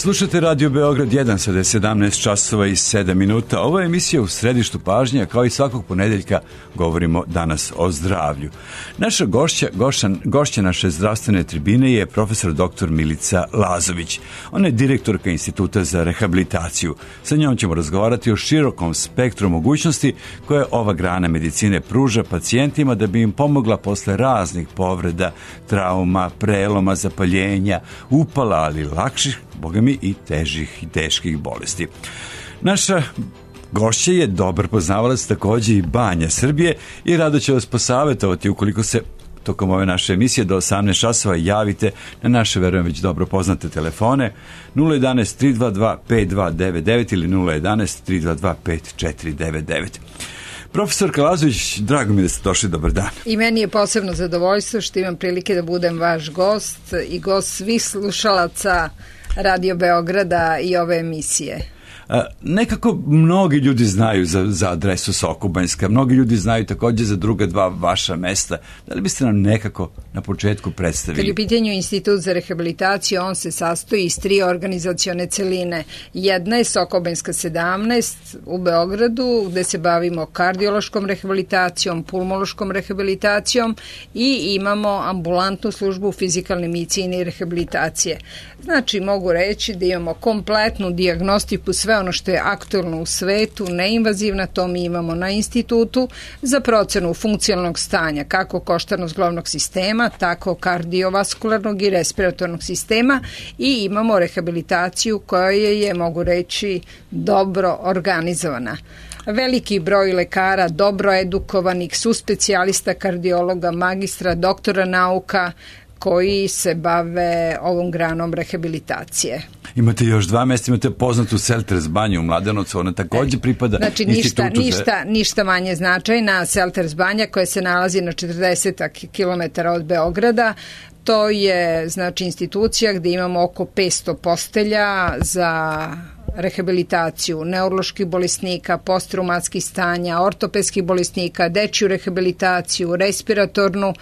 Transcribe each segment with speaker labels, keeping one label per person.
Speaker 1: Slušate Radio Beograd 1, sada je 17 časova i 7 minuta. Ovo je emisija U središtu pažnje, kao i svakog ponedeljka govorimo danas o zdravlju. Naša gošća naše zdravstvene tribine je profesor dr. Milica Lazović. Ona je direktorka Instituta za rehabilitaciju. Sa njom ćemo razgovarati o širokom spektru mogućnosti koje ova grana medicine pruža pacijentima da bi im pomogla posle raznih povreda, trauma, preloma, zapaljenja, upala, ali lakših, bogami i težih i teških bolesti. Naša gošća je dobar poznavalac takođe i banja Srbije i rado će vas posavetovati ukoliko se tokom ove naše emisije do 18 časova javite na naše, verujem, već dobro poznate telefone 011 322 5299 ili 011 322 5499. Profesorka Lazović, drago mi da ste došli, dobar dan.
Speaker 2: I meni je posebno zadovoljstvo što imam prilike da budem vaš gost i gost svih slušalaca Radio Beograda i ove emisije.
Speaker 1: Nekako mnogi ljudi znaju za adresu Sokobanjska, mnogi ljudi znaju takođe za druga dva vaša mesta. Da li biste nam nekako na početku predstavili?
Speaker 2: Kad je u pitanju Institut za rehabilitaciju, on se sastoji iz 3 organizacione celine. Jedna je Sokobanjska 17 u Beogradu, gde se bavimo kardiološkom rehabilitacijom, pulmološkom rehabilitacijom i imamo ambulantnu službu fizikalne medicine i rehabilitacije. Znači, mogu reći da imamo kompletnu dijagnostiku, sve ono što je aktualno u svetu, neinvazivna, to mi imamo na institutu za procenu funkcionalnog stanja, kako koštarno-zglobnog sistema, tako kardiovaskularnog i respiratornog sistema i imamo rehabilitaciju koja je, mogu reći, dobro organizovana. Veliki broj lekara, dobro edukovanih, suspecijalista kardiologa, magistra, doktora nauka, koji se bave ovom granom rehabilitacije.
Speaker 1: Imate još 2 mesta, imate poznatu Selters banju u Mladenovcu, ona takođe pripada institutu
Speaker 2: ništa manje značajna. Selters banja koja se nalazi na 40 km od Beograda. To je, znači, institucija gde imamo oko 500 postelja za rehabilitaciju neuroloških bolesnika, postraumatskih stanja, ortopedskih bolesnika, dečju rehabilitaciju, respiratornu.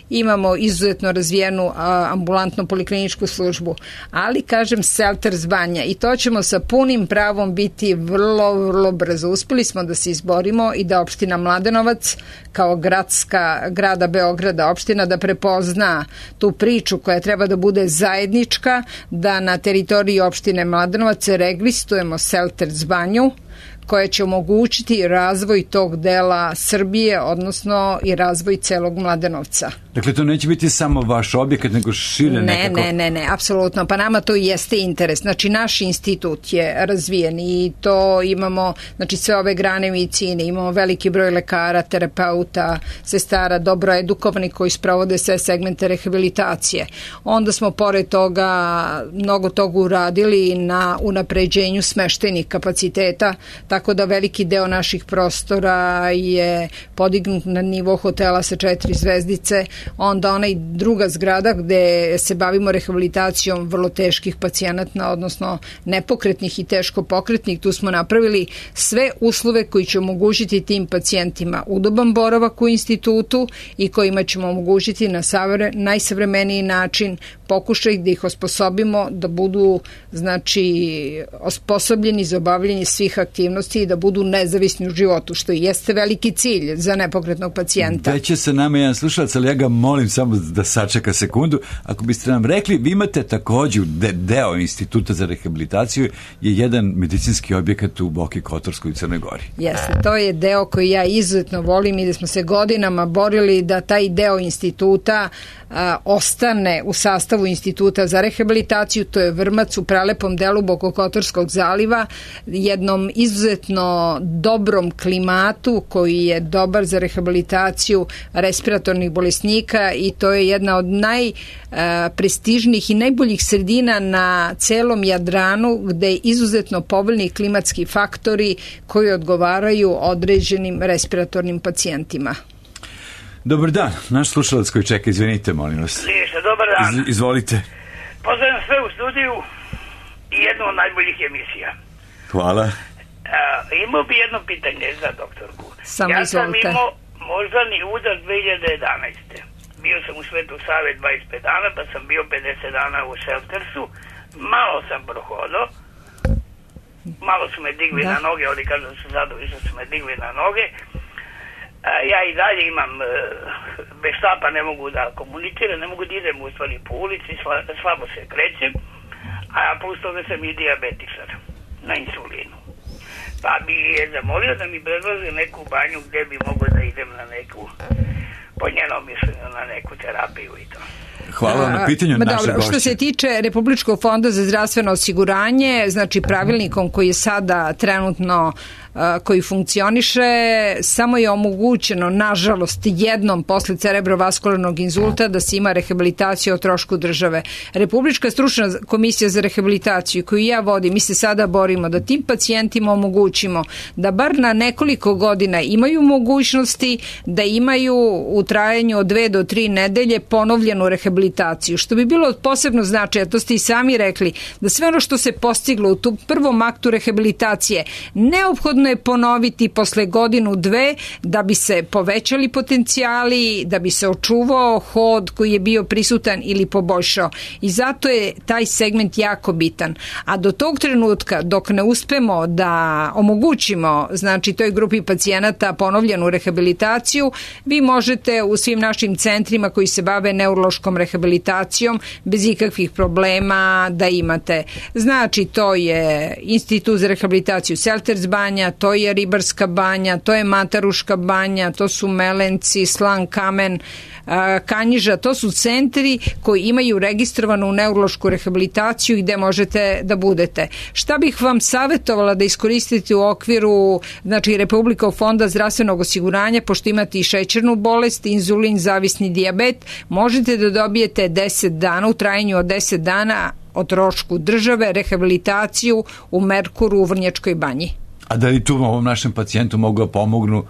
Speaker 2: Imamo izuzetno razvijenu ambulantno polikliničku službu, ali kažem Selters banja i to ćemo sa punim pravom biti vrlo brzo. Uspeli smo da se izborimo i da opština Mladenovac kao grada Beograda opština da prepozna tu priču koja treba da bude zajednička, da na teritoriji opštine Mladenovac registrujemo Selters banju koja će omogućiti razvoj tog dela Srbije, odnosno i razvoj celog Mladenovca.
Speaker 1: Dakle, to neće biti samo vaš objekat, nego šire nekako?
Speaker 2: Ne, apsolutno. Pa nama to jeste interes. Znači, naš institut je razvijen i to imamo, znači, sve ove grane medicine, imamo veliki broj lekara, terapeuta, sestara, dobro edukovanih koji sprovode sve segmente rehabilitacije. Onda smo, pored toga, mnogo toga uradili na unapređenju smeštajnih kapaciteta, tako da veliki deo naših prostora je podignut na nivo hotela sa 4 zvezdice. Onda onaj druga zgrada gde se bavimo rehabilitacijom vrlo teških pacijenata, odnosno nepokretnih i teško pokretnih, tu smo napravili sve uslove koji će omogućiti tim pacijentima udoban boravak u institutu i kojima ćemo omogućiti na najsavremeniji način pokušaj da ih osposobimo da budu, znači, osposobljeni za obavljanje svih aktivnosti i da budu nezavisni u životu, što i jeste veliki cilj za nepokretnog pacijenta.
Speaker 1: Već je sa nama jedan slušalac, ali ja ga molim samo da sačeka sekundu. Ako biste nam rekli, vi imate takođe deo Instituta za rehabilitaciju je jedan medicinski objekat u Boki Kotorskoj u Crnoj Gori.
Speaker 2: Jeste, to je deo koji ja izuzetno volim i da smo se godinama borili da taj deo instituta ostane u sastavu Instituta za rehabilitaciju. To je Vrmac u prelepom delu Bokokotorskog zaliva, jednom izuzetno dobrom klimatu koji je dobar za rehabilitaciju respiratornih bolesnika i to je jedna od najprestižnijih i najboljih sredina na celom Jadranu gde je izuzetno povoljni klimatski faktori koji odgovaraju određenim respiratornim pacijentima.
Speaker 1: Dobar dan, naš slušalac koji čeka, izvinite, molim vas.
Speaker 3: Liješa, dobar dan.
Speaker 1: Izvolite.
Speaker 3: Pozdravljam sve u studiju i jednu od najboljih emisija.
Speaker 1: Hvala.
Speaker 3: Imao bi jedno pitanje za doktorku.
Speaker 2: Samo
Speaker 3: ja
Speaker 2: izvolite.
Speaker 3: sam imao moždani udar 2011. Bio sam u Svetu Save 25 dana, pa sam bio 50 dana u Seltersu. malo sam prohodao, malo su me digli na noge, oni kažu da su zadovoljni što su me digli na noge. Ja i dalje imam, bez štapa ne mogu da komuniciram, ne mogu da idem u stvari po ulici, slabo se krećem, a plus toga sam i dijabetičar na insulinu. Pa bi je zamolio da mi predloži neku banju gde bi mogo da idem na neku, po njenom mišljenju, na neku terapiju i to.
Speaker 1: Hvala na pitanju naše gošće.
Speaker 2: Što se tiče Republičkog fonda za zdravstveno osiguranje, znači pravilnikom koji je sada trenutno koji funkcioniše, samo je omogućeno, nažalost, jednom posle cerebrovaskularnog inzulta da se ima rehabilitaciju o trošku države. Republička stručna komisija za rehabilitaciju koju ja vodim, mi se sada borimo da tim pacijentima omogućimo da bar na nekoliko godina imaju mogućnosti da imaju u trajanju od 2 do 3 nedelje ponovljenu rehabilitaciju, što bi bilo od posebno značaja, to ste i sami rekli, da sve ono što se postiglo u tom prvom aktu rehabilitacije neophodno je ponoviti posle 1-2 da bi se povećali potencijali, da bi se očuvao hod koji je bio prisutan ili poboljšao. I zato je taj segment jako bitan. A do tog trenutka, dok ne uspemo da omogućimo, znači toj grupi pacijenata ponovljenu rehabilitaciju, vi možete u svim našim centrima koji se bave neurološkom rehabilitacijom bez ikakvih problema da imate. Znači, to je Institut za rehabilitaciju Selters banja, to je Ribarska banja, to je Mataruška banja, to su Melenci, Slan Kamen, Kanjiža, to su centri koji imaju registrovanu neurološku rehabilitaciju i gde možete da budete. Šta bih vam savjetovala da iskoristite u okviru, znači, Republičkog fonda zdravstvenog osiguranja, pošto imate i šećernu bolest, inzulin, zavisni dijabet, možete da dobijete 10 dana, u trajanju od 10 dana o trošku države, rehabilitaciju u Merkuru u Vrnjačkoj banji.
Speaker 1: A da li tu ovom našem pacijentu mogu da pomognu?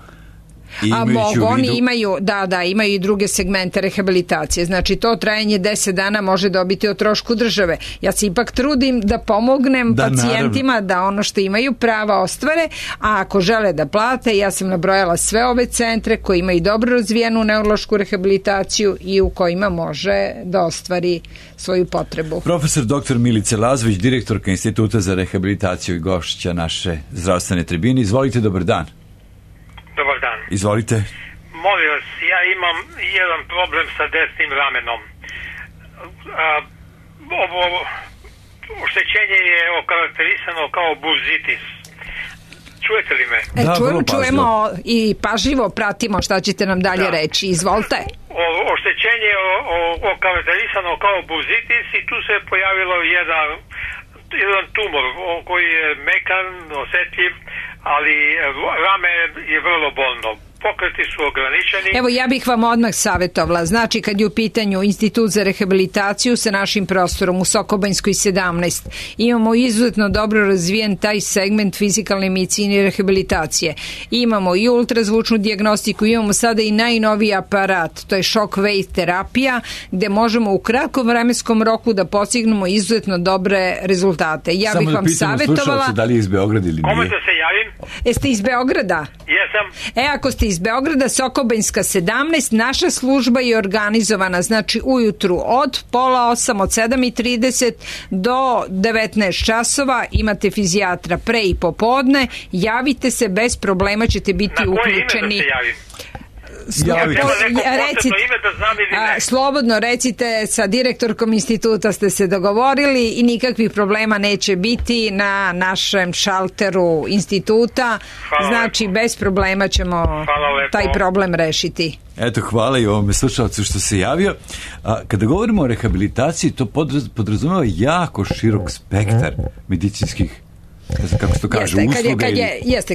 Speaker 2: Oni imaju, imaju i druge segmente rehabilitacije. Znači, to trajanje 10 dana može dobiti o trošku države. Ja se ipak trudim da pomognem pacijentima naravno, da ono što imaju prava ostvare, a ako žele da plate, ja sam nabrojala sve ove centre koji imaju dobro razvijenu neurološku rehabilitaciju i u kojima može da ostvari svoju potrebu.
Speaker 1: Profesor dr. Milica Lazović, direktorka Instituta za rehabilitaciju i gošća naše zdravstvene tribine. Izvolite, dobar dan.
Speaker 4: Dobar dan.
Speaker 1: Izvolite.
Speaker 4: Molim vas, ja imam jedan problem sa desnim ramenom. Ovo oštećenje je okarakterisano kao burzitis. Čujete li me?
Speaker 2: Čujemo i pažljivo pratimo šta ćete nam dalje reći. Izvolite.
Speaker 4: Oštećenje je okarakterisano kao burzitis i tu se pojavilo jedan tumor koji je mekan, osetljiv, ali rame je vrlo bolno. Pokreti su ograničeni.
Speaker 2: Evo, ja bih vam odmah savjetovala. Znači, kad je u pitanju Institut za rehabilitaciju sa našim prostorom u Sokobanjskoj 17, imamo izuzetno dobro razvijen taj segment fizikalne medicine i rehabilitacije. Imamo i ultrazvučnu dijagnostiku, imamo sada i najnoviji aparat, to je shockwave terapija, gde možemo u kratkom vremenskom roku da postignemo izuzetno dobre rezultate. Ja
Speaker 1: samo
Speaker 2: bih vam savjetovala...
Speaker 1: da li je iz Beograda ili nije?
Speaker 4: Kome da se javim?
Speaker 2: Jeste iz Beograda?
Speaker 4: Jesam.
Speaker 2: Ako ste iz Beograda, Sokobanjska 17, naša služba je organizovana, znači ujutru od 7:30 od 7:30 do 19 časova, imate fizijatra pre i popodne, javite se, bez problema ćete biti uključeni.
Speaker 4: Na koje ime da se javim?
Speaker 2: Slobodno recite, sa direktorkom instituta ste se dogovorili i nikakvih problema neće biti na našem šalteru instituta. Znači, bez problema ćemo taj problem rešiti.
Speaker 1: Eto, hvala i ovome slušalcu što se javio. Kada govorimo o rehabilitaciji, to podrazumeva jako širok spektar medicinskih, kako se to kaže, usluga.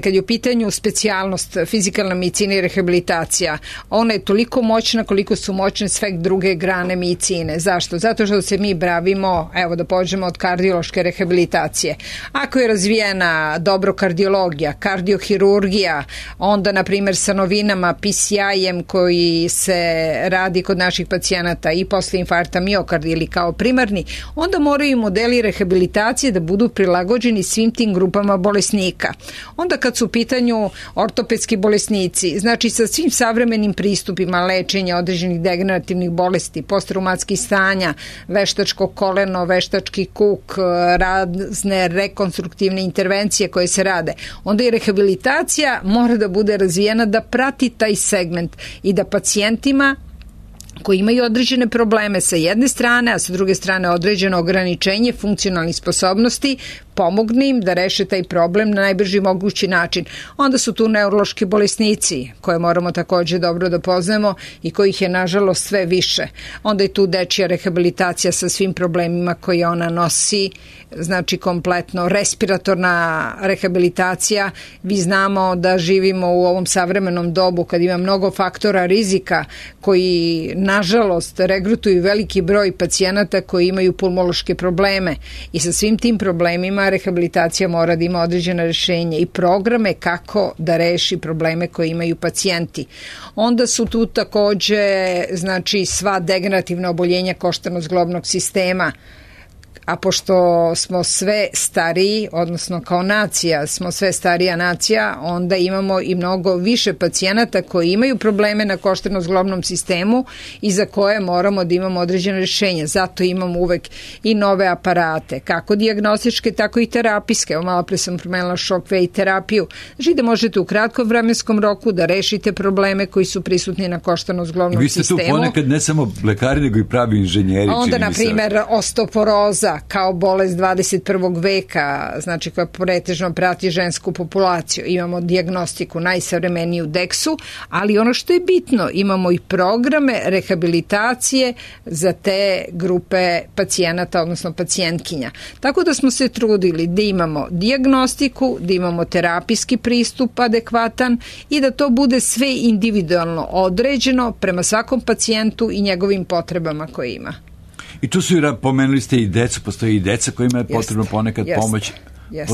Speaker 2: Kad je u pitanju specijalnost fizikalna medicina i rehabilitacija, ona je toliko moćna koliko su moćne sve druge grane medicine. Zašto? Zato što se mi bavimo, evo da pođemo od kardiološke rehabilitacije. Ako je razvijena dobro kardiologija, kardiohirurgija, onda na primjer sa novinama PCI-em koji se radi kod naših pacijenata i posle infarkta miokarda ili kao primarni, onda moraju modeli rehabilitacije da budu prilagođeni svim tim grupama bolesnika. Onda kad su u pitanju ortopedski bolesnici, znači sa svim savremenim pristupima lečenja određenih degenerativnih bolesti, postraumatskih stanja, veštačko koleno, veštački kuk, razne rekonstruktivne intervencije koje se rade, onda i rehabilitacija mora da bude razvijena da prati taj segment i da pacijentima koji imaju određene probleme sa jedne strane, a sa druge strane određeno ograničenje funkcionalnih sposobnosti, pomogne im da reše taj problem na najbrži mogući način. Onda su tu neurološki bolesnici, koje moramo takođe dobro da poznajemo i kojih je nažalost sve više. Onda je tu dečija rehabilitacija sa svim problemima koje ona nosi, znači kompletno respiratorna rehabilitacija. Vi znamo da živimo u ovom savremenom dobu kad ima mnogo faktora rizika koji nažalost regrutuju veliki broj pacijenata koji imaju pulmološke probleme i sa svim tim problemima rehabilitacija mora da ima određena rešenja i programe kako da reši probleme koje imaju pacijenti. Onda su tu takođe znači sva degenerativna oboljenja koštano-zglobnog sistema, a pošto smo sve stariji, odnosno kao nacija smo sve starija nacija, onda imamo i mnogo više pacijenata koji imaju probleme na koštano-zglobnom sistemu i za koje moramo da imamo određene rješenja. Zato imamo uvek i nove aparate, kako dijagnostičke, tako i terapijske. Evo malo pre sam promenila Shockwave terapiju. Znači da možete u kratkom vremenskom roku da rešite probleme koji su prisutni na koštano-zglobnom sistemu.
Speaker 1: Vi ste tu ponekad ne samo lekari, nego i pravi inženjeri.
Speaker 2: Onda, na primer, osteoporoza kao bolest 21. veka, znači koja pretežno prati žensku populaciju. Imamo dijagnostiku najsavremeniju DEX-u, ali ono što je bitno, imamo i programe rehabilitacije za te grupe pacijenata, odnosno pacijentkinja. Tako da smo se trudili da imamo dijagnostiku, da imamo terapijski pristup adekvatan i da to bude sve individualno određeno prema svakom pacijentu i njegovim potrebama koje ima.
Speaker 1: I tu su, pomenuli ste i decu, postoje i deca kojima je potrebno ponekad pomoć.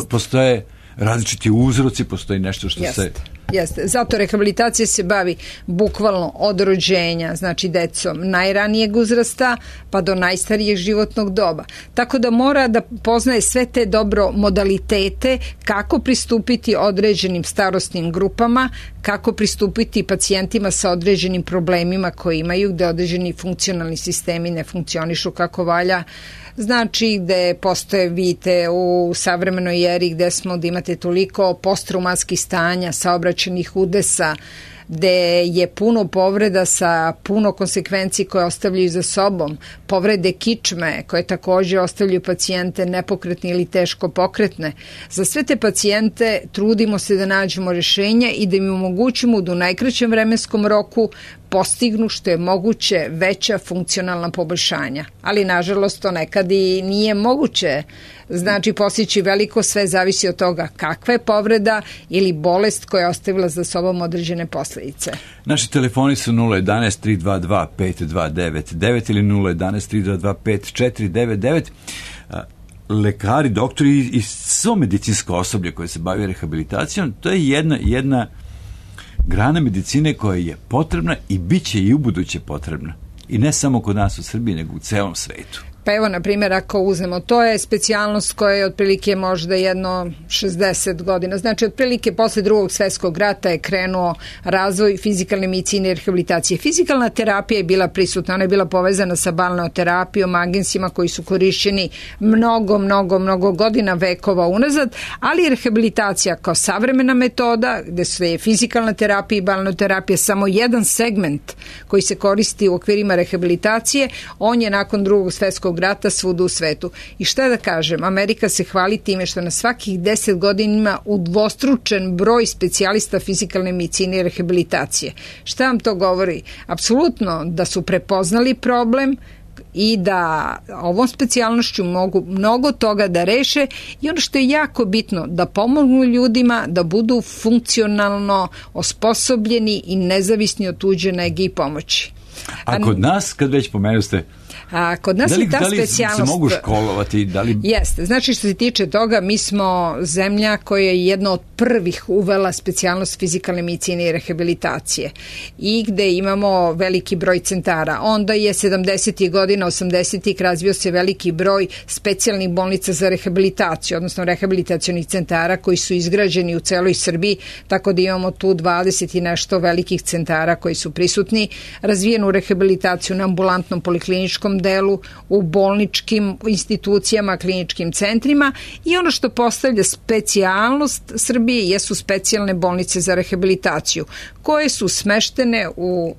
Speaker 1: Postoje različiti uzroci, postoji nešto što se...
Speaker 2: Jeste. Zato rehabilitacija se bavi bukvalno od rođenja, znači decom najranijeg uzrasta pa do najstarijeg životnog doba. Tako da mora da poznaje sve te dobro modalitete kako pristupiti određenim starosnim grupama, kako pristupiti pacijentima sa određenim problemima koji imaju, gde određeni funkcionalni sistemi ne funkcionišu kako valja. Znači gde postoje, vidite, u savremenoj eri gde smo da imate toliko postraumatskih stanja, saobraćajnih udesa, gde je puno povreda sa puno konsekvenci koje ostavljaju za sobom, povrede kičme koje takođe ostavljaju pacijente nepokretne ili teško pokretne. Za sve te pacijente trudimo se da nađemo rešenja i da im omogućimo da u najkraćem vremenskom roku postignu što je moguće veća funkcionalna poboljšanja. Ali nažalost to nekad i nije moguće. Znači postići veliko, sve zavisi od toga kakva je povreda ili bolest koja je ostavila za sobom određene posledice.
Speaker 1: Naši telefoni su 011-322-5299 ili 011-322-5499. Lekari, doktori i svo medicinsko osoblje koje se bavi rehabilitacijom, to je jedna grana medicine koja je potrebna i bit će i u buduće potrebna. I ne samo kod nas u Srbiji, nego u celom svetu.
Speaker 2: Pa evo, na primjer, ako uzmemo, to je specijalnost koja je otprilike možda jedno 60 godina. Znači, otprilike posle Drugog svjetskog rata je krenuo razvoj fizikalne medicine i rehabilitacije. Fizikalna terapija je bila prisutna, ona je bila povezana sa balneoterapijom, agensima koji su korišćeni mnogo godina, vekova unazad, ali rehabilitacija kao savremena metoda, gde se je fizikalna terapija i balneoterapija samo jedan segment koji se koristi u okvirima rehabilitacije, on je nakon Drugog svjetskog rata svuda u svetu. I šta da kažem, Amerika se hvali time što na svakih 10 godina ima udvostručen broj specijalista fizikalne medicine i rehabilitacije. Šta vam to govori? Apsolutno da su prepoznali problem i da ovom specijalnošću mogu mnogo toga da reše i ono što je jako bitno, da pomognu ljudima da budu funkcionalno osposobljeni i nezavisni od tuđe nege i pomoći.
Speaker 1: A kod nas, kad već pomenuste
Speaker 2: A kod nas je ta specijalnost...
Speaker 1: Da li se mogu školovati?
Speaker 2: Jeste. Znači, što se tiče toga, mi smo zemlja koja je jedna od prvih uvela specijalnost fizikalne medicine i rehabilitacije i gde imamo veliki broj centara. Onda je 70. godina, 80. razvio se veliki broj specijalnih bolnica za rehabilitaciju, odnosno rehabilitacionih centara koji su izgrađeni u celoj Srbiji, tako da imamo tu 20 i nešto velikih centara koji su prisutni, razvijenu rehabilitaciju na ambulantnom polikliničkom delu, u bolničkim institucijama, kliničkim centrima i ono što postavlja specijalnost Srbije jesu specijalne bolnice za rehabilitaciju koje su smeštene u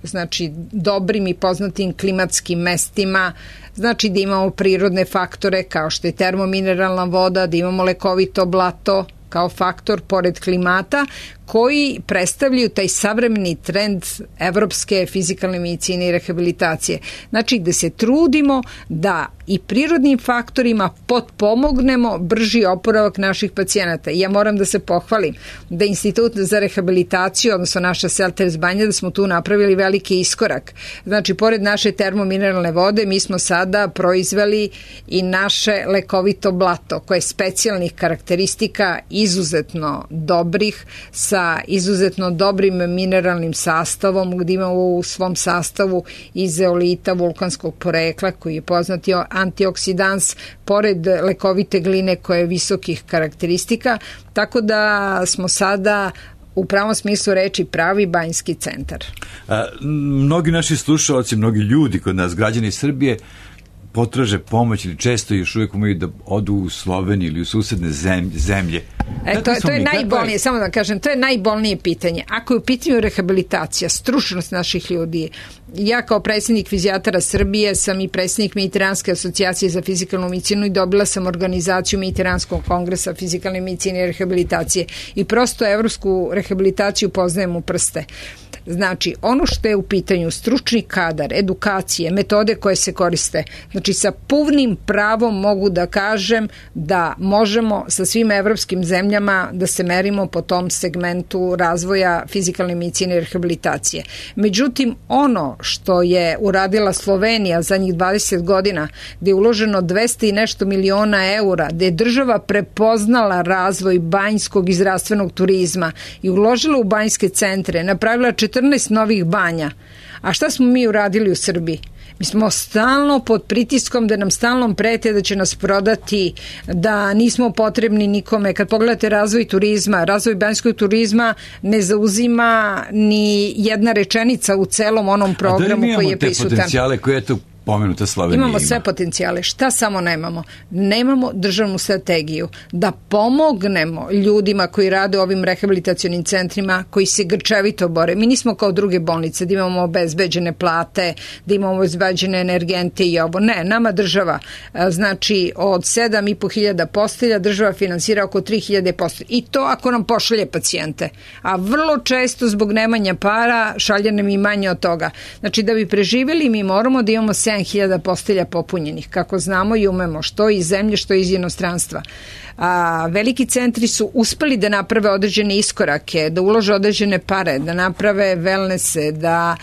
Speaker 2: dobrim i poznatim klimatskim mestima, znači da imamo prirodne faktore kao što je termomineralna voda, da imamo lekovito blato kao faktor pored klimata koji predstavljaju taj savremeni trend evropske fizikalne medicine i rehabilitacije. Znači gde se trudimo da i prirodnim faktorima potpomognemo brži oporavak naših pacijenata. Ja moram da se pohvalim da Institut za rehabilitaciju, odnosno naša Selters Banja, da smo tu napravili veliki iskorak. Znači, pored naše termomineralne vode, mi smo sada proizveli i naše lekovito blato, koje je specijalnih karakteristika izuzetno dobrih, sa izuzetno dobrim mineralnim sastavom, gdje imamo u svom sastavu i zeolita vulkanskog porekla, koji je poznati antioksidans, pored lekovite gline koje je visokih karakteristika, tako da smo sada u pravom smislu reči pravi banjski centar.
Speaker 1: Mnogi naši slušalci, mnogi ljudi kod nas, građani Srbije, potraže pomoć ili često još uvijek umaju da odu u Sloveniju ili u susedne zemlje.
Speaker 2: To je najbolnije, samo da kažem, to je najbolnije pitanje. Ako je u pitanju rehabilitacija, stručnost naših ljudi, ja kao predsjednik Fizijatara Srbije sam i predsjednik Mediteranske asocijacije za fizikalnu medicinu i dobila sam organizaciju Mediteranskog kongresa fizikalne medicine i rehabilitacije i prosto evropsku rehabilitaciju poznajem u prste. Znači, ono što je u pitanju stručni kadar, edukacije, metode koje se koriste, znači sa punim pravom mogu da kažem da možemo sa svim evropskim zemljama da se merimo po tom segmentu razvoja fizikalne medicine i rehabilitacije. Međutim, ono što je uradila Slovenija zadnjih 20 godina, gde je uloženo 200 i nešto miliona eura, gde je država prepoznala razvoj banjskog i zdravstvenog turizma i uložila u banjske centre, napravila 14 novih banja. A šta smo mi uradili u Srbiji? Mi smo stalno pod pritiskom da nam stalno prete da će nas prodati, da nismo potrebni nikome. Kad pogledate razvoj turizma, razvoj banjskog turizma ne zauzima ni jedna rečenica u celom onom programu koji je prisutan. A da li mi imamo te potencijale koje je tu pomenuta Slovenija? Imamo sve potencijale. Šta samo nemamo? Nemamo državnu strategiju da pomognemo ljudima koji rade u ovim rehabilitacionim centrima, koji se grčevito bore. Mi nismo kao druge bolnice da imamo obezbeđene plate, da imamo obezbeđene energente i ovo. Ne, nama država, znači od 7.500 postelja država finansira oko 3.000 postelja. I to ako nam pošalje pacijente. A vrlo često zbog nemanja para šalje nam i manje od toga. Znači da bi preživjeli mi moramo da imamo 7.000 postelja popunjenih, kako znamo i umemo, što iz zemlje, što iz inostranstva. Veliki centri su uspeli da naprave određene iskorake, da ulože određene pare, da naprave wellnesse, da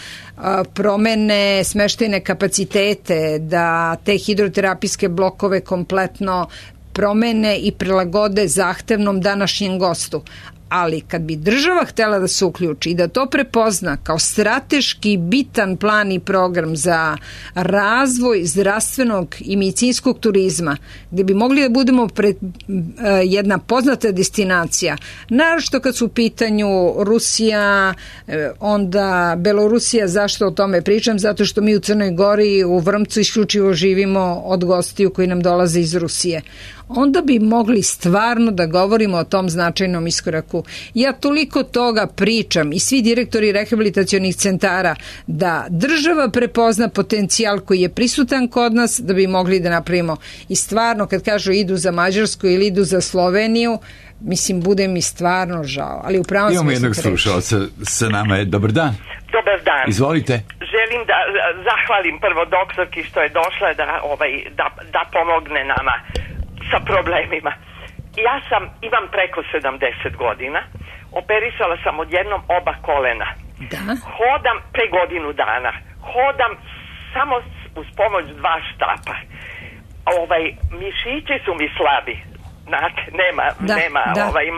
Speaker 2: promene smeštajne kapacitete, da te hidroterapijske blokove kompletno promene i prilagode zahtevnom današnjem gostu. Ali kad bi država htjela da se uključi i da to prepozna kao strateški bitan plan i program za razvoj zdravstvenog i medicinskog turizma, gdje bi mogli da budemo jedna poznata destinacija, naročito kad su u pitanju Rusija, onda Belorusija, zašto o tome pričam? Zato što mi u Crnoj Gori, u Vrmcu isključivo živimo od gostiju koji nam dolaze iz Rusije. Onda bi mogli stvarno da govorimo o tom značajnom iskoraku. Ja toliko toga pričam i svi direktori rehabilitacionih centara da država prepozna potencijal koji je prisutan kod nas da bi mogli da napravimo. I stvarno kad kažu idu za Mađarsku ili idu za Sloveniju, mislim, bude mi stvarno žao. Ali u pravom
Speaker 1: imamo jednog slušalca sa nama. Dobar dan.
Speaker 5: Dobar dan.
Speaker 1: Izvolite.
Speaker 5: Želim da zahvalim prvo doktorki što je došla da pomogne nama sa problemima. Ja imam preko 70 godina, operisala sam odjednom oba kolena.
Speaker 2: Da.
Speaker 5: Hodam pre godinu dana. Hodam samo uz pomoć 2 štapa. Mišići su mi slabi. Znate, nema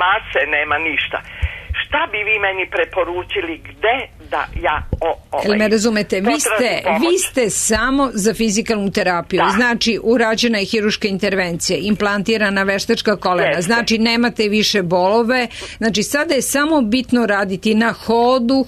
Speaker 5: mase, nema ništa. Šta bi vi meni preporučili, gde da ja
Speaker 2: Jel me razumete? Vi ste samo za fizikalnu terapiju. Da. Znači, urađena je hiruška intervencija, implantirana veštačka kolena. Jeste. Znači, nemate više bolove. Znači, sada je samo bitno raditi na hodu.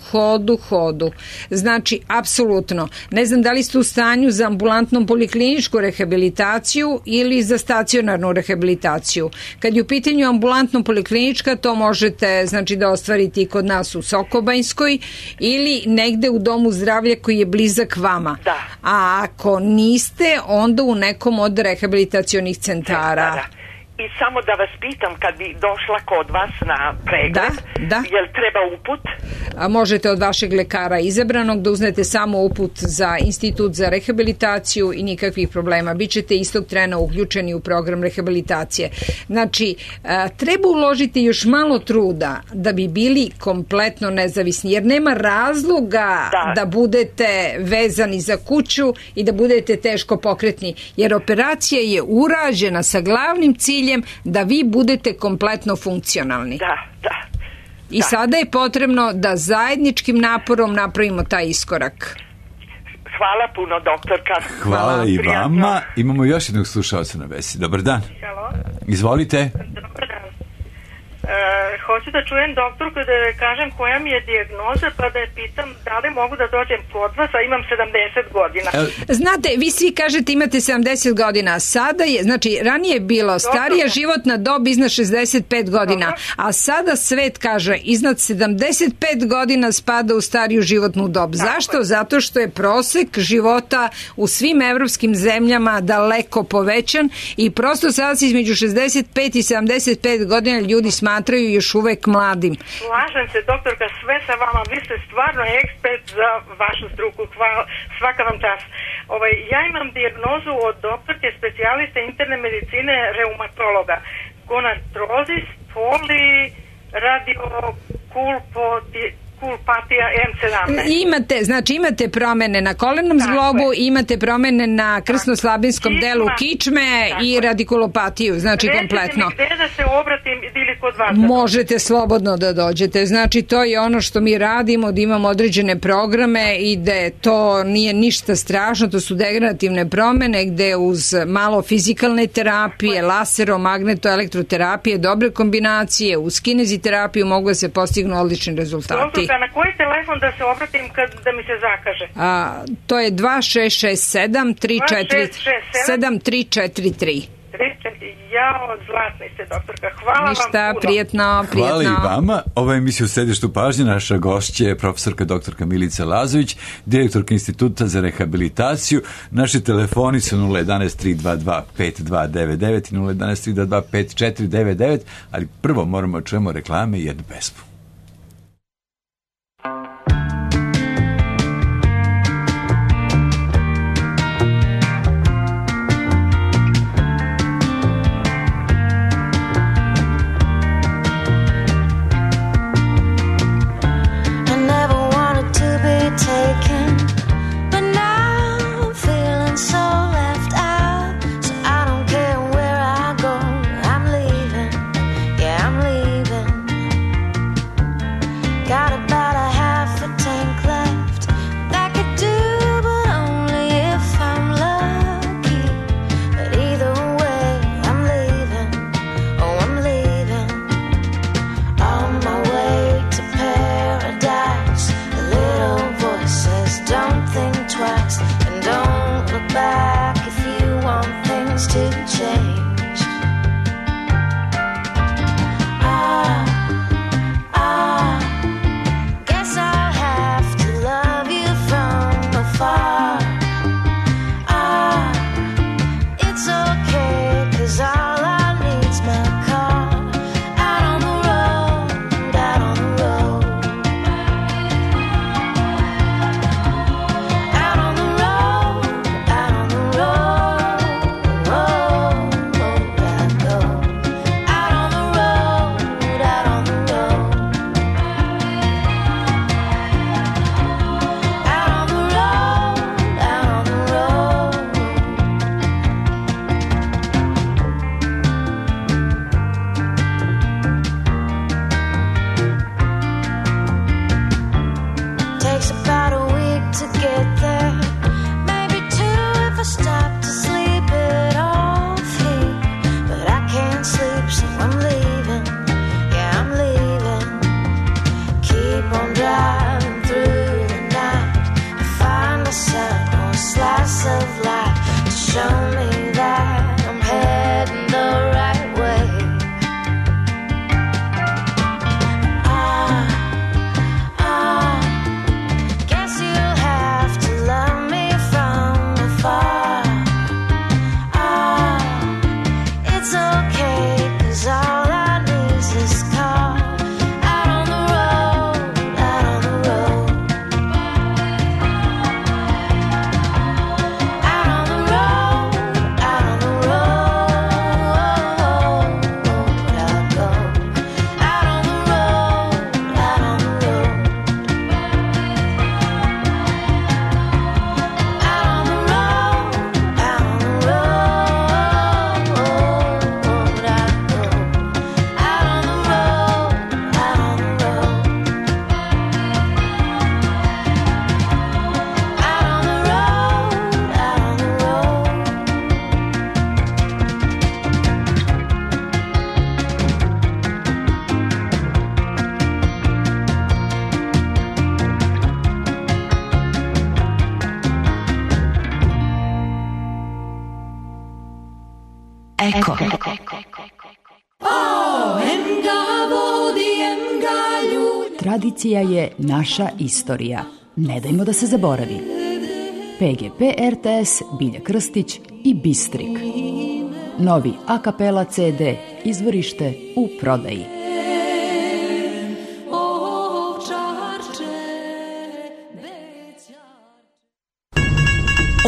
Speaker 2: Znači, apsolutno. Ne znam da li ste u stanju za ambulantnom polikliničku rehabilitaciju ili za stacionarnu rehabilitaciju. Kad je u pitanju ambulantno poliklinička, to možete, znači, da ostvariti kod nas u Sokobanjskoj ili negde u domu zdravlja koji je blizak vama.
Speaker 5: Da.
Speaker 2: A ako niste, onda u nekom od rehabilitacionih centara.
Speaker 5: I samo da vas pitam, kad bi došla kod vas na pregled, jel treba uput?
Speaker 2: Možete od vašeg lekara izabranog da uznete samo uput za institut za rehabilitaciju i nikakvih problema. Bićete istog trena uključeni u program rehabilitacije. Znači, treba uložiti još malo truda da bi bili kompletno nezavisni, jer nema razloga da budete vezani za kuću i da budete teško pokretni, jer operacija je urađena sa glavnim ciljem da vi budete kompletno funkcionalni. I sada je potrebno da zajedničkim naporom napravimo taj iskorak.
Speaker 5: Hvala puno, doktorka.
Speaker 1: Hvala i vama. Imamo još jednog slušalca na vezi. Dobar dan.
Speaker 6: Halo.
Speaker 1: Izvolite.
Speaker 6: Dobar dan. Hoću da čujem doktorku da kažem koja mi je dijagnoza, pa da je pitam da li mogu da dođem kod vas, a imam 70 godina.
Speaker 2: Znate, vi svi kažete imate 70 godina. Sada je, znači, ranije je bilo starija životna dob iznad 65 godina, a sada svet kaže iznad 75 godina spada u stariju životnu dob. Zašto? Zato što je prosek života u svim evropskim zemljama daleko povećan i prosto sada se između 65 i 75 godina ljudi smatraju još uvek mladim.
Speaker 6: Slažem se, doktorka, sve sa vama. Vi ste stvarno ekspert za vašu struku. Hvala, svaka vam čast. Ja imam dijagnozu od doktorke specijaliste interne medicine reumatologa. Gonartrozis, poliradiopulpatija M17.
Speaker 2: Imate promene na kolenom zglobu, imate promene na krsno-slabinskom delu kičme i radikulopatiju, znači kompletno.
Speaker 6: Recite mi gde da se obratim ili kod vas?
Speaker 2: Možete slobodno da dođete. Znači, to je ono što mi radimo, da imamo određene programe i da to nije ništa strašno, to su degenerativne promene gde uz malo fizikalne terapije, lasero, magneto, elektroterapije, dobre kombinacije, uz kineziterapiju mogu da se postignu odlični rezultati.
Speaker 6: Na koji telefon da se obratim da mi se zakaže?
Speaker 2: To je 2667-343.
Speaker 6: Jao, zlatni ste, doktorka. Hvala
Speaker 2: Ništa,
Speaker 6: vam puno.
Speaker 2: Prijetno.
Speaker 1: Hvala i vama. Ova emisija u središtu pažnje. Naša gošća je profesorka doktorka Milica Lazović, direktorka Instituta za rehabilitaciju. Naši telefoni su 011-322-5299 i 011-322-5499, ali prvo moramo čujemo reklame i jednu pesmu.
Speaker 7: Oh to get there. Maybe two if I stop to sleep it off here. But I can't sleep, so I'm leaving. Yeah, I'm leaving. Keep on driving through the night. I find a sun or a slice of light to show me that I'm heading the right way. Guess you'll have to love me from afar. It's okay, 'cause all I need is this car. Out on the road, out on the road. Out on the road, out on the road. I'll go. Out on the road, out on the road. Out on the road, out on the road. I'll go. Out on the road, out on the road. Out on the road, out on the road.
Speaker 8: Eko. Tradicija je naša istorija. Ne dajmo da se zaboravi. PGP RTS, Bilja Krstić i Bistrik. Novi a kapela CD, izvorište u prodaji.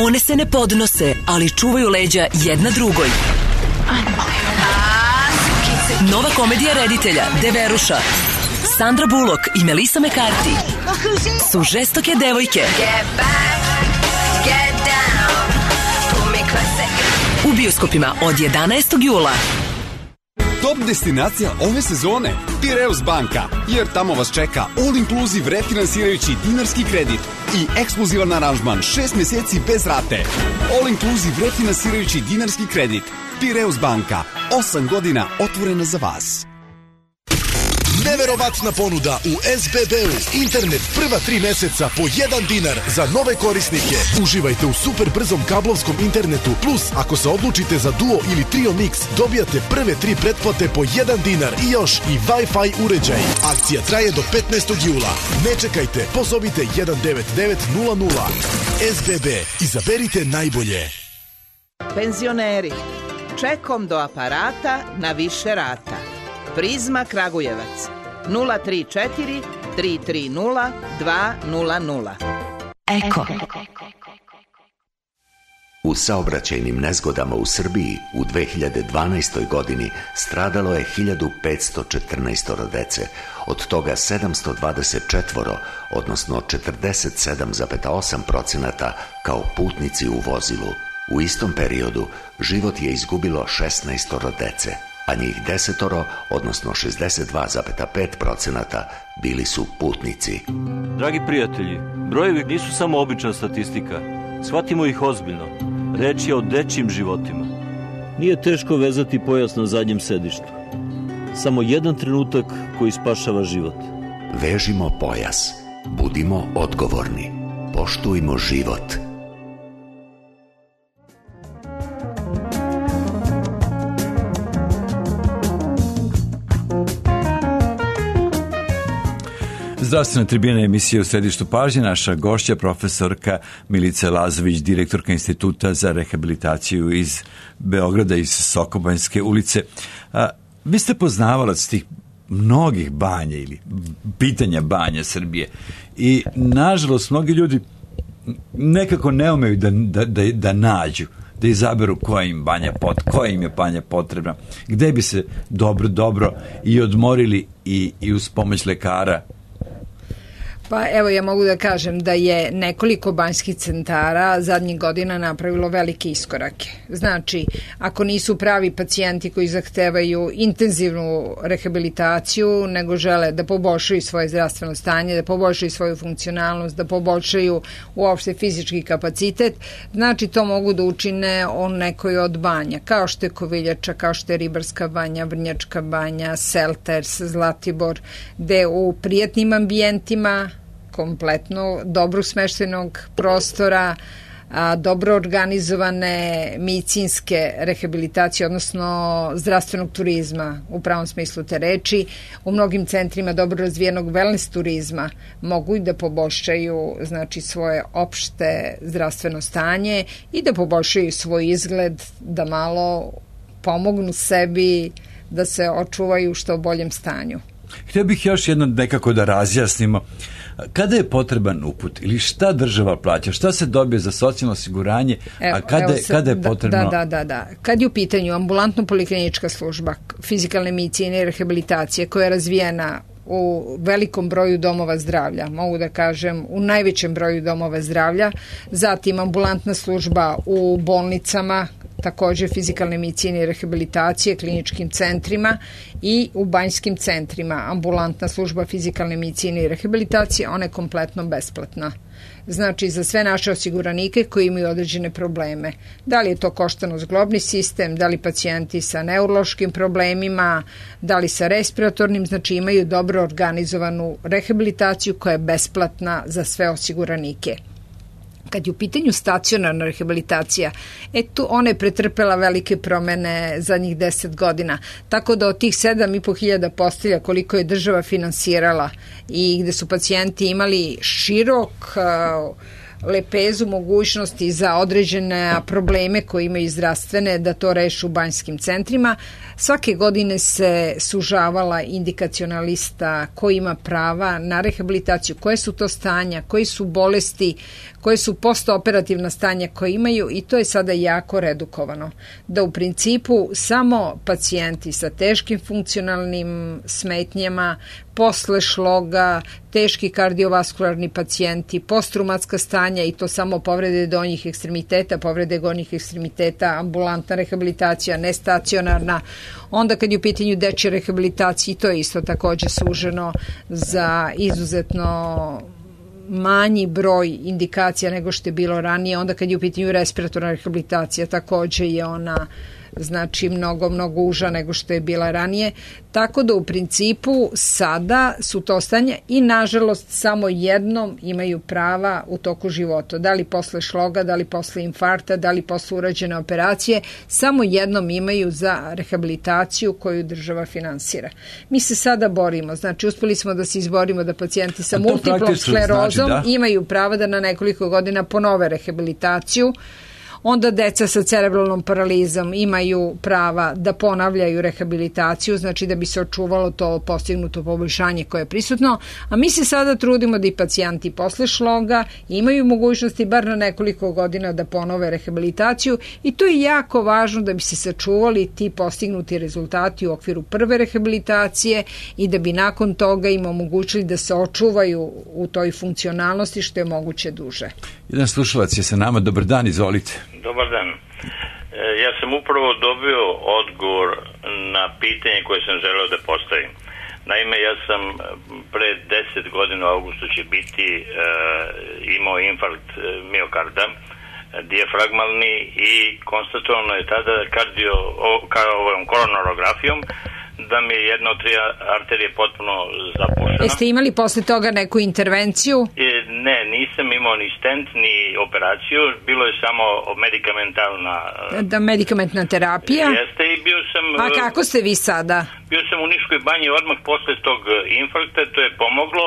Speaker 9: One se ne podnose, ali čuvaju leđa jedna drugoj. Nova komedija reditelja Deveruša, Sandra Bullock i Melissa McCarthy su žestoke devojke. U bioskopima od 11. jula.
Speaker 10: Top destinacija ove sezone Pireus banka, jer tamo vas čeka all inclusive refinansirajući dinarski kredit i ekskluzivan aranžman 6 meseci bez rate. All inclusive refinansirajući dinarski kredit. Pireus banka, 8 godina otvorena za vas.
Speaker 11: Neverovatna ponuda u SBB-u. Internet prva 3 meseca po 1 dinar za nove korisnike. Uživajte u super brzom kablovskom internetu. Plus, ako se odlučite za Duo ili Trio Mix, dobijate prve 3 pretplate po 1 dinar i još i Wi-Fi uređaj. Akcija traje do 15. jula. Ne čekajte, pozovite 19900. SBB. Izaberite najbolje.
Speaker 12: Penzioneri. Čekom do aparata na više rata. Prizma Kragujevac 034 330 200.
Speaker 8: Eko.
Speaker 13: U saobraćajnim nezgodama u Srbiji u 2012. godini stradalo je 1514 dece, od toga 724, odnosno 47,8% kao putnici u vozilu. U istom periodu život je izgubilo 16 dece, a njih 10, odnosno 62,5% bili su putnici.
Speaker 14: Dragi prijatelji, brojevi nisu samo obična statistika. Shvatimo ih ozbiljno. Reč je o dečjim životima. Nije teško vezati pojas na zadnjem sedištu. Samo jedan trenutak koji spašava život.
Speaker 13: Vežimo pojas. Budimo odgovorni. Poštujmo život.
Speaker 1: Zdravstvena tribina emisije u središtu pažnje. Naša gošća, profesorka Milica Lazović, direktorka Instituta za rehabilitaciju iz Beograda, iz Sokobanjske ulice. Vi ste poznavalac tih mnogih banja ili pitanja banja Srbije i nažalost mnogi ljudi nekako ne umeju da nađu, da izaberu koja im je banja potrebna, gde bi se dobro i odmorili i uz pomoć lekara.
Speaker 2: Pa evo, ja mogu da kažem da je nekoliko banjskih centara zadnjih godina napravilo velike iskorake. Znači, ako nisu pravi pacijenti koji zahtevaju intenzivnu rehabilitaciju, nego žele da poboljšaju svoje zdravstveno stanje, da poboljšaju svoju funkcionalnost, da poboljšaju uopšte fizički kapacitet, znači to mogu da učine o nekoj od banja, kao što je Koviljača, kao što je Ribarska banja, Vrnjačka banja, Selters, Zlatibor, gde u prijatnim ambijentima, kompletno dobro smeštenog prostora, dobro organizovane medicinske rehabilitacije, odnosno zdravstvenog turizma u pravom smislu te reči, u mnogim centrima dobro razvijenog wellness turizma mogu i da poboljšaju znači svoje opšte zdravstveno stanje i da poboljšaju svoj izgled, da malo pomognu sebi da se očuvaju u što boljem stanju.
Speaker 1: Htio bih još jedno nekako da razjasnimo. Kada je potreban uput ili šta država plaća, šta se dobije za socijalno osiguranje, a kada je potrebno...
Speaker 2: Da. Kad je u pitanju ambulantno poliklinička služba fizikalne medicine i rehabilitacije koja je razvijena u velikom broju domova zdravlja, mogu da kažem u najvećem broju domova zdravlja, zatim ambulantna služba u bolnicama, takođe fizikalne medicine i rehabilitacije, kliničkim centrima i u banjskim centrima. Ambulantna služba fizikalne medicine i rehabilitacije, ona je kompletno besplatna. Znači, za sve naše osiguranike koji imaju određene probleme. Da li je to koštano-zglobni sistem, da li pacijenti sa neurološkim problemima, da li sa respiratornim, znači imaju dobro organizovanu rehabilitaciju koja je besplatna za sve osiguranike. Kad je u pitanju stacionarna rehabilitacija, tu ona je pretrpela velike promene zadnjih 10 godina, tako da od tih 7.500 postelja koliko je država finansirala i gde su pacijenti imali širok lepezu mogućnosti za određene probleme koje imaju zdravstvene da to reše u banjskim centrima. Svake godine se sužavala indikaciona lista ko ima prava na rehabilitaciju, koje su to stanja, koji su bolesti, koje su postoperativna stanja koje imaju i to je sada jako redukovano. Da u principu samo pacijenti sa teškim funkcionalnim smetnjama, posle šloga, teški kardiovaskularni pacijenti, postraumatska stanja i to samo povrede donjih ekstremiteta, povrede gornjih ekstremiteta, ambulantna rehabilitacija, nestacionarna. Onda kad je u pitanju dečje rehabilitacije, to je isto takođe suženo za izuzetno manji broj indikacija nego što je bilo ranije. Onda kad je u pitanju respiratorna rehabilitacija, takođe je ona znači mnogo uža nego što je bila ranije. Tako da u principu sada su to stanja i nažalost samo jednom imaju prava u toku života. Da li posle šloga, da li posle infarkta, da li posle urađene operacije, samo jednom imaju za rehabilitaciju koju država finansira. Mi se sada borimo, znači uspeli smo da se izborimo da pacijenti sa multiplom sklerozom imaju pravo da na nekoliko godina ponove rehabilitaciju. Onda deca sa cerebralnom paralizom imaju prava da ponavljaju rehabilitaciju, znači da bi se očuvalo to postignuto poboljšanje koje je prisutno, a mi se sada trudimo da i pacijenti posle šloga imaju mogućnosti bar na nekoliko godina da ponove rehabilitaciju i to je jako važno da bi se sačuvali ti postignuti rezultati u okviru prve rehabilitacije i da bi nakon toga im omogućili da se očuvaju u toj funkcionalnosti što je moguće duže.
Speaker 1: Jedan slušalac je sa nama. Dobar dan, izvolite.
Speaker 15: Dobar dan. Ja sam upravo dobio odgovor na pitanje koje sam želeo da postavim. Naime, ja sam pre 10 godina u augustu će biti imao infarkt miokarda, dijafragmalni i konstatovano je tada koronarografijom da mi je jedna od 3 arterije potpuno zapušena.
Speaker 2: Jeste imali posle toga neku intervenciju?
Speaker 15: Ne, nisam imao ni stent, ni operaciju, bilo je samo medikamentalna...
Speaker 2: medikamentna terapija?
Speaker 15: Jeste i bio sam...
Speaker 2: A kako ste vi sada?
Speaker 15: Bio sam u Niškoj banji odmah posle tog infarkta, to je pomoglo,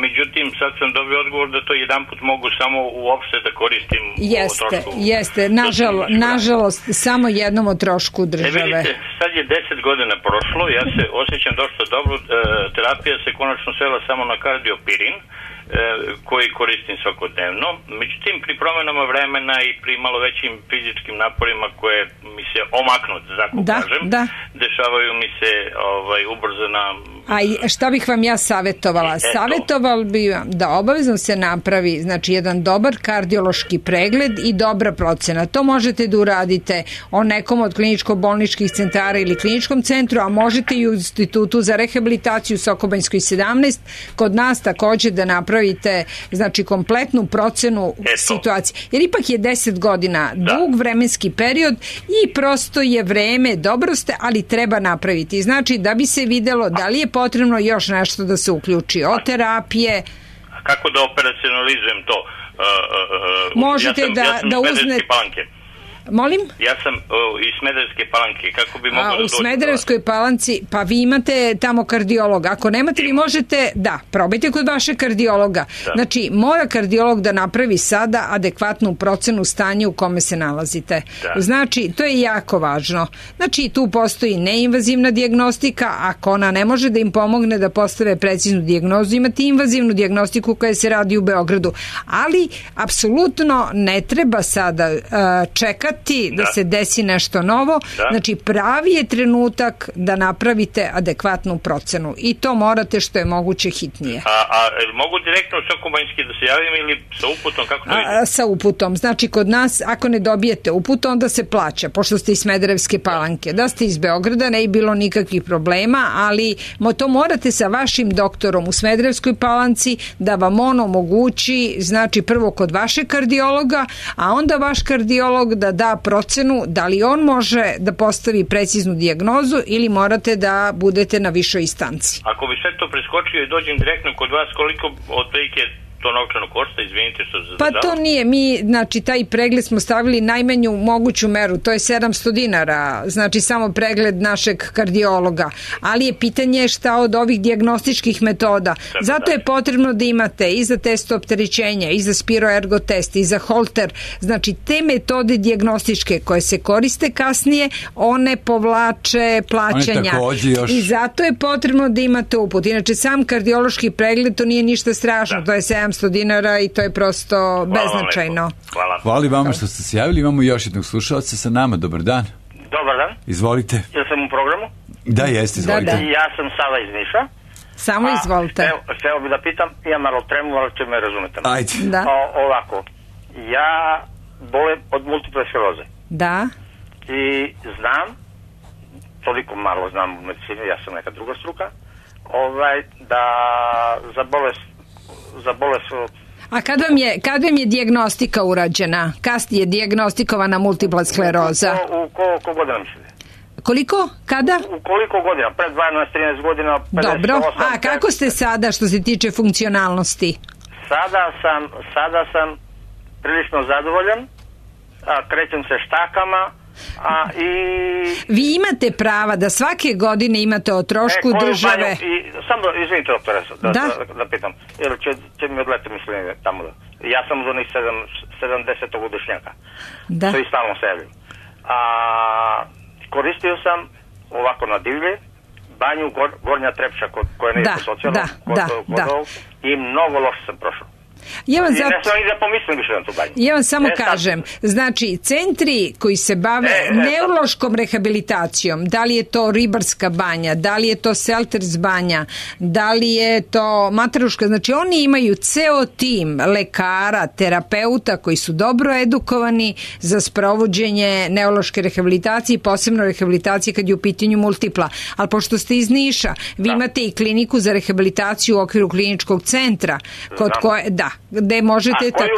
Speaker 15: međutim sad sam dobio odgovor da to jedanput mogu samo uopšte da koristim o trošku.
Speaker 2: Jeste, nažalost, samo jednom o trošku države.
Speaker 15: Vidite, sad je 10 godina prošlo, ja se osjećam dosta dobro, terapija se konačno svela samo na kardiopirin, koji koristim svakodnevno. Međutim, pri promenama vremena i pri malo većim fizičkim naporima koje mi se omaknu, da kažem, dešavaju mi se ubrzana
Speaker 2: A šta bih vam ja savjetovala? Savjetovala bi vam da obavezno se napravi, znači, jedan dobar kardiološki pregled i dobra procena. To možete da uradite o nekom od kliničko-bolničkih centara ili kliničkom centru, a možete i u Institutu za rehabilitaciju Sokobanjskoj 17 kod nas takođe da napravite, znači, kompletnu procenu situacije. Jer ipak je 10 godina dug vremenski period i prosto je vreme, dobro ste, ali treba napraviti. Znači, da bi se videlo da li je potrebno još nešto da se uključi od terapije.
Speaker 15: A kako da operacionalizujem to?
Speaker 2: Možete da uznete... Molim?
Speaker 15: Ja sam iz Smederevske Palanke, kako bi mogao da dođem?
Speaker 2: U Smederevskoj Palanci, pa vi imate tamo kardiologa. Ako nemate, vi možete, probajte kod vašeg kardiologa. Znači, mora kardiolog da napravi sada adekvatnu procenu stanja u kome se nalazite. Znači, to je jako važno. Znači, tu postoji neinvazivna dijagnostika, ako ona ne može da im pomogne da postave preciznu dijagnozu, imate invazivnu dijagnostiku koja se radi u Beogradu. Ali, apsolutno ne treba sada čekati da se desi nešto novo. Znači, pravi je trenutak da napravite adekvatnu procenu i to morate što je moguće hitnije.
Speaker 15: A mogu direktno u Sokobanjski da se javim ili sa uputom? Kako to ide?
Speaker 2: Sa uputom. Znači, kod nas, ako ne dobijete uput, onda se plaća, pošto ste iz Smederevske Palanke. Da ste iz Beograda, ne bi bilo nikakvih problema, ali to morate sa vašim doktorom u Smederevskoj Palanci da vam on omogući, znači, prvo kod vašeg kardiologa, a onda vaš kardiolog da procenu da li on može da postavi preciznu dijagnozu ili morate da budete na višoj instanci.
Speaker 15: Ako bi sve to preskočio i dođem direktno kod vas, koliko otprilike to novčano košta, izvinite što se
Speaker 2: Pa to nije, mi, znači, taj pregled smo stavili najmanju moguću meru, to je 700 dinara, znači samo pregled našeg kardiologa, ali je pitanje šta od ovih dijagnostičkih metoda. Zato je potrebno da imate i za test opterećenja, i za spiroergo test, i za Holter, znači te metode dijagnostičke koje se koriste kasnije, one povlače plaćanja. I zato je potrebno da imate uput. Inače, sam kardiološki pregled, to nije ništa strašno, to je 700 dinara i to je prosto beznačajno.
Speaker 1: Hvala vama što ste se javili. Imamo još jednog slušalca sa nama. Dobar dan.
Speaker 16: Dobar dan.
Speaker 1: Izvolite.
Speaker 16: Ja sam u programu.
Speaker 1: Da, jeste, izvolite.
Speaker 16: Ja sam Sava iz Niša.
Speaker 2: Samo izvolite.
Speaker 16: Hteo bi da pitam, imam malo tremu, ali će me razumete.
Speaker 1: Ajde.
Speaker 16: Ovako, ja bolim od multiple skleroze.
Speaker 2: Da.
Speaker 16: I znam, toliko malo znam u medicini, ja sam neka druga struka, da za bolest
Speaker 2: A kad vam je dijagnostika urađena? Kad je dijagnostikovana multipla skleroza?
Speaker 16: U koliko godina mislite?
Speaker 2: Koliko? Kada?
Speaker 16: U koliko godina? Pred 12-13 godina? 58,
Speaker 2: dobro. A kako ste sada što se tiče funkcionalnosti?
Speaker 16: Sada sam prilično zadovoljan. Krećem se štakama.
Speaker 2: Vi imate prava da svake godine imate o trošku države.
Speaker 16: Samo izvinite, doktore, da pitam, jer će mi odleti mišljenje tamo. Ja sam od onih 70-godišnjaka, što i stalno se javim. Koristio sam ovako na divlje banju Gornja Trepča, koja nije po socijalnom, i mnogo loše sam prošao.
Speaker 2: Ja vam samo kažem, znači centri koji se bave neurološkom rehabilitacijom, da li je to Ribarska banja, da li je to Selters banja, da li je to Mataruška, znači oni imaju ceo tim lekara, terapeuta koji su dobro edukovani za sprovođenje neurološke rehabilitacije, posebno rehabilitacije kad je u pitanju multipla. Ali pošto ste iz Niša, vi imate i kliniku za rehabilitaciju u okviru kliničkog centra, kod koje, gde možete...
Speaker 16: A koju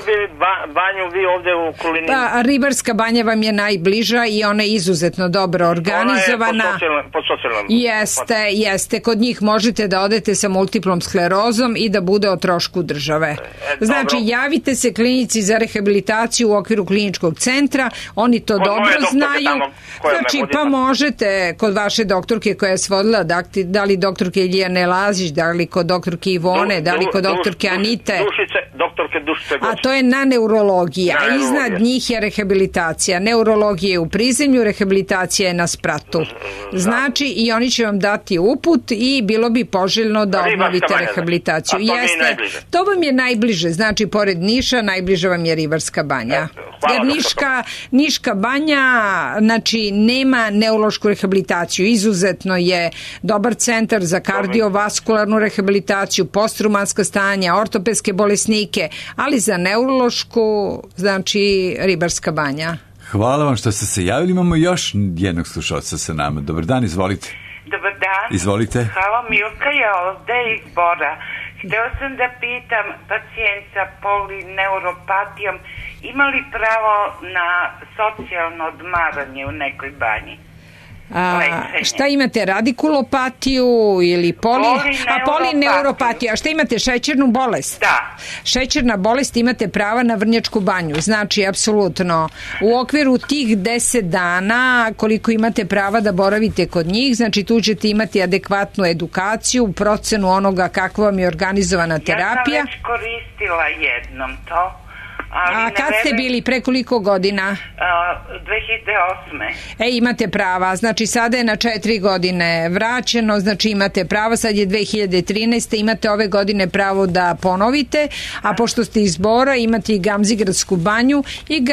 Speaker 16: banju vi ovde u okolini?
Speaker 2: Ribarska banja vam je najbliža i ona je izuzetno dobro organizovana.
Speaker 16: Ona je pod socijalnom.
Speaker 2: Jeste. Kod njih možete da odete sa multiplom sklerozom i da bude o trošku države. Znači, javite se klinici za rehabilitaciju u okviru kliničkog centra, oni to dobro znaju. Znači, pa možete kod vaše doktorke koja je svodila, da li doktorke Ilijane Lazić, da li kod doktorke Ivone, da li kod doktorke Anite.
Speaker 16: doktorke Dušice Goć.
Speaker 2: A to je na neurologiji, a iznad njih je rehabilitacija. Neurologija je u prizemlju, rehabilitacija je na spratu. Znači, i oni će vam dati uput i bilo bi poželjno da obnovite rehabilitaciju. To vam je najbliže, znači, pored Niša, najbliže vam je Ribarska banja. Jer Niška banja, znači, nema neurološku rehabilitaciju. Izuzetno je dobar centar za kardiovaskularnu rehabilitaciju, postraumatska stanja, ortopedske bolesnike, ali za neurološku, znači, Ribarska banja.
Speaker 1: Hvala vam što ste se javili. Imamo još jednog slušalca sa nama. Dobar dan, izvolite.
Speaker 17: Dobar dan.
Speaker 1: Izvolite.
Speaker 17: Hvala, Milka je ovde iz Bora. Hteo sam da pitam pacijent sa polineuropatijom ima li pravo na socijalno odmaranje u nekoj banji?
Speaker 2: Šta imate, radikulopatiju ili polineuropatiju? A šta imate, šećernu bolest?
Speaker 17: Da.
Speaker 2: Šećerna bolest, imate prava na vrnjačku banju, znači apsolutno u okviru tih 10 dana koliko imate prava da boravite kod njih, znači tu ćete imati adekvatnu edukaciju, procenu onoga kakva vam je organizovana terapija.
Speaker 17: Ja sam već koristila jednom to.
Speaker 2: A kad ste bili, pre koliko godina?
Speaker 17: 2008.
Speaker 2: Imate prava, znači sada je na 4 godine vraćeno, znači imate prava, sad je 2013. Imate ove godine pravo da ponovite, a pošto ste iz Bora imate i Gamzigradsku banju i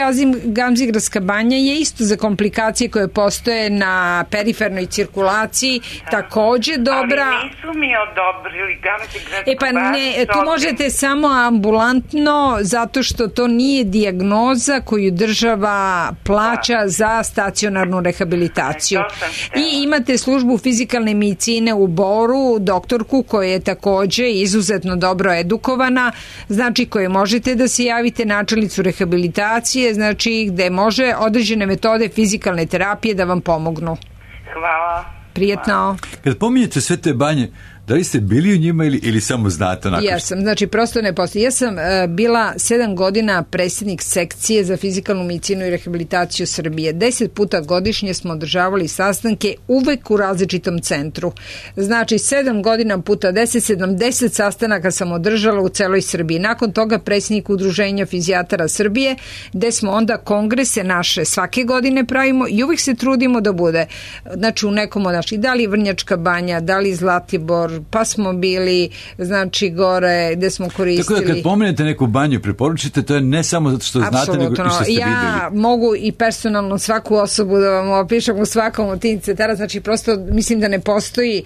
Speaker 2: Gamzigradska banja je isto za komplikacije koje postoje na perifernoj cirkulaciji, takođe dobra.
Speaker 17: Ali nisu mi odobrili Gamzigradsku
Speaker 2: banju. Tu možete samo ambulantno, zato što to nije dijagnoza koju država plaća za stacionarnu rehabilitaciju. I imate službu fizikalne medicine u Boru, doktorku koja je takođe izuzetno dobro edukovana, znači koje možete da se javite, načelnicu rehabilitacije, znači gde može određene metode fizikalne terapije da vam pomognu.
Speaker 17: Hvala.
Speaker 2: Prijetno.
Speaker 1: Kad pominjete sve te banje, da li ste bili u njima ili samo znate?
Speaker 2: Ja sam, znači prosto ne postoji. Ja sam bila 7 godina predsjednik sekcije za fizikalnu medicinu i rehabilitaciju Srbije. 10 puta godišnje smo održavali sastanke uvek u različitom centru. Znači 7 godina puta 10, 70 sastanaka sam održala u celoj Srbiji. Nakon toga predsjednik Udruženja fizijatara Srbije, gde smo onda kongrese naše svake godine pravimo i uvek se trudimo da bude, znači u nekom od naših, da li Vrnjačka banja, da li Zlatibor, pa smo bili, znači, gore gde smo koristili.
Speaker 1: Tako da kad pomenete neku banju, preporučite, to je ne samo zato što znate, nego i što ste videli.
Speaker 2: Ja mogu i personalno svaku osobu da vam opišem u svakom od tih centara, znači prosto mislim da ne postoji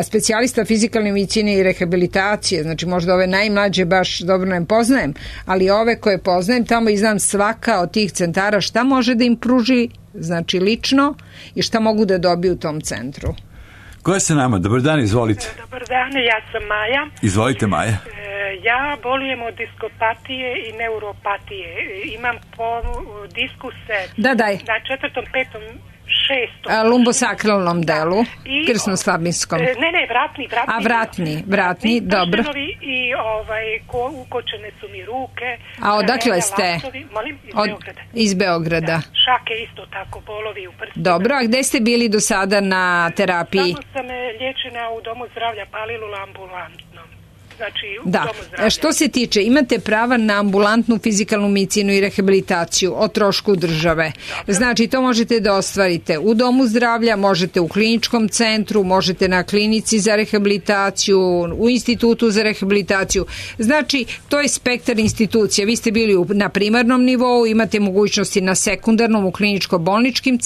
Speaker 2: specijalista fizikalne medicine i rehabilitacije, znači možda ove najmlađe baš dobro ne poznajem, ali ove koje poznajem tamo i znam svaka od tih centara šta može da im pruži, znači lično, i šta mogu da dobiju u tom centru.
Speaker 1: Ko je sa nama? Dobar dan, izvolite.
Speaker 18: Dobar dan, ja sam Maja.
Speaker 1: Izvolite, Maja.
Speaker 18: Ja bolujem od diskopatije i neuropatije. Imam diskuse
Speaker 2: na
Speaker 18: 4., 5., 6.
Speaker 2: Lumbosakralnom delu, krsno-slabinskom.
Speaker 18: Ne,
Speaker 2: vratni, dobro.
Speaker 18: I ukočene su mi ruke.
Speaker 2: A odakle ste?
Speaker 18: Molim, iz Beograda.
Speaker 2: Iz Beograda.
Speaker 18: Šake isto tako, bolovi u prstima.
Speaker 2: Dobro, a gde ste bili do sada na terapiji?
Speaker 18: Samo sam liječena u domu zdravlja Palilula ambulantnom. Znači, u domu zdravlja.
Speaker 2: Što se tiče, imate prava na ambulantnu fizikalnu medicinu i rehabilitaciju o trošku države. Znači, to možete da ostvarite u domu zdravlja, možete u kliničkom centru, možete na klinici za rehabilitaciju, u institutu za rehabilitaciju. Znači, to je spektar institucija. Vi ste bili na primarnom nivou, imate mogućnosti na sekundarnom, u kliničko-bolničkim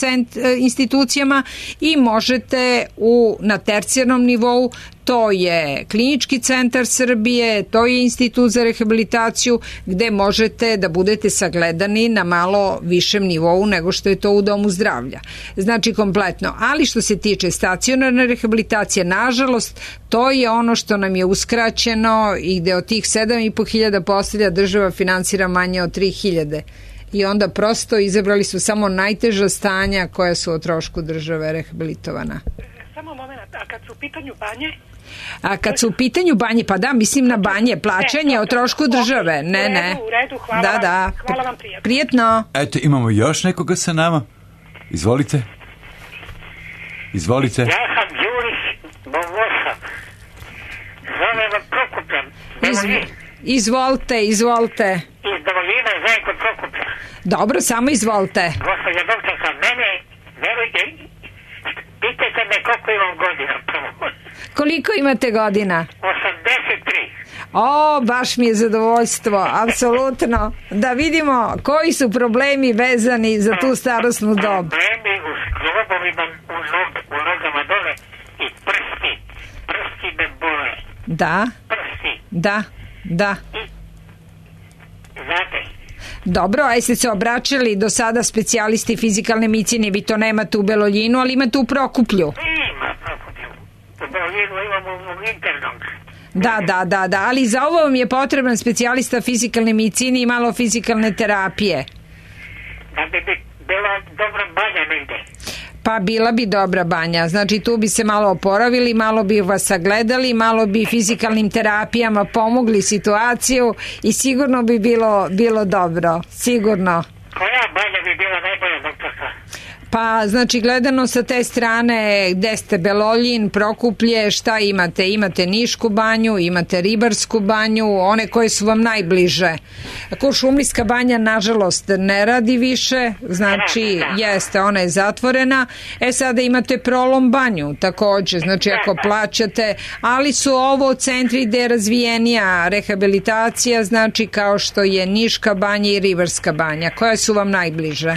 Speaker 2: institucijama i možete na tercijarnom nivou. To je Klinički centar Srbije, to je Institut za rehabilitaciju, gde možete da budete sagledani na malo višem nivou nego što je to u domu zdravlja. Znači kompletno. Ali što se tiče stacionarne rehabilitacije, nažalost, to je ono što nam je uskraćeno i gde od tih 7.500 postelja država finansira manje od 3.000. I onda prosto izabrali su samo najteža stanja koja su o trošku države rehabilitovana.
Speaker 18: Samo moment, a kad su u pitanju banje?
Speaker 2: A kad su u pitanju banje, pa da, mislim na banje, plaćanje o trošku države. Ne.
Speaker 18: U redu, hvala vam prijatno.
Speaker 2: Prijetno.
Speaker 1: Eto, imamo još nekoga sa nama. Izvolite.
Speaker 19: Ja sam Đurić Bogoša. Zove vam Prokupljan.
Speaker 2: Izvolite.
Speaker 20: Iz Domovina, Zajko Prokuplja.
Speaker 2: Dobro, samo izvolite.
Speaker 20: Gospođa doktorka, mene, verujte, pitajte me koliko imam godina prvo.
Speaker 2: Koliko imate godina?
Speaker 20: 83.
Speaker 2: Baš mi je zadovoljstvo, apsolutno. Da vidimo koji su problemi vezani za tu starosnu dob.
Speaker 20: Problemi u zglobovima, u nogama dole i prsti me bole.
Speaker 2: Da?
Speaker 20: Prsti.
Speaker 2: Da.
Speaker 20: Znate?
Speaker 2: Dobro, a jeste se obraćali do sada specijalisti fizikalne medicine, vi to nemate u Beloljinu, ali imate u Prokuplju.
Speaker 20: Ima Prokuplju. U Beloljinu imamo u internom.
Speaker 2: Da, ali za ovo vam je potreban specijalista fizikalne medicine i malo fizikalne terapije.
Speaker 20: Da bi bila dobra banja negde.
Speaker 2: Pa bila bi dobra banja, znači tu bi se malo oporavili, malo bi vas sagledali, malo bi fizikalnim terapijama pomogli situaciju i sigurno bi bilo dobro, sigurno.
Speaker 20: Koja banja bi bila najbolja, doktorka?
Speaker 2: Pa znači gledano sa te strane gde ste Beloljin, Prokuplje, šta imate? Imate Nišku banju, imate Ribarsku banju, one koje su vam najbliže. Kuršumlijska banja nažalost ne radi više, znači jeste, ona je zatvorena. Sada imate Prolom banju takođe, znači ako plaćate, ali su ovo centri gde je razvijenija rehabilitacija, znači kao što je Niška banja i Ribarska banja. Koje su vam najbliže?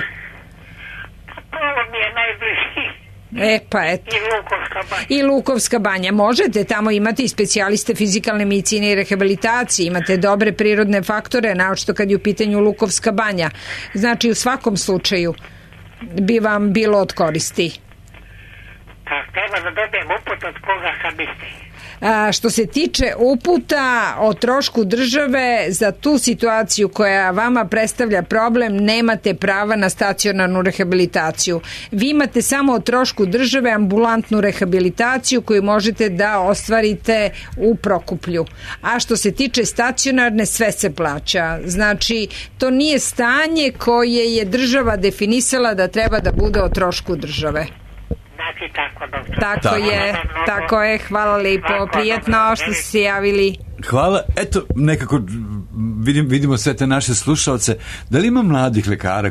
Speaker 20: Ovo mi je najbliži.
Speaker 2: Pa eto.
Speaker 20: I Lukovska banja.
Speaker 2: I Lukovska banja. Možete tamo imati i specijaliste fizikalne medicine i rehabilitacije, imate dobre prirodne faktore, naočito kad je u pitanju Lukovska banja. Znači u svakom slučaju bi vam bilo od koristi.
Speaker 20: Treba da dobijem uput od koga kad biste?
Speaker 2: Što se tiče uputa o trošku države za tu situaciju koja vama predstavlja problem, nemate prava na stacionarnu rehabilitaciju. Vi imate samo o trošku države ambulantnu rehabilitaciju koju možete da ostvarite u Prokuplju. A što se tiče stacionarne, sve se plaća. Znači, to nije stanje koje je država definisala da treba da bude o trošku države.
Speaker 20: Znači tako, doktor.
Speaker 2: Tako je, hvala lepo, prijetno što ste se javili.
Speaker 1: Hvala, eto, nekako vidimo sve te naše slušalce. Da li ima mladih lekara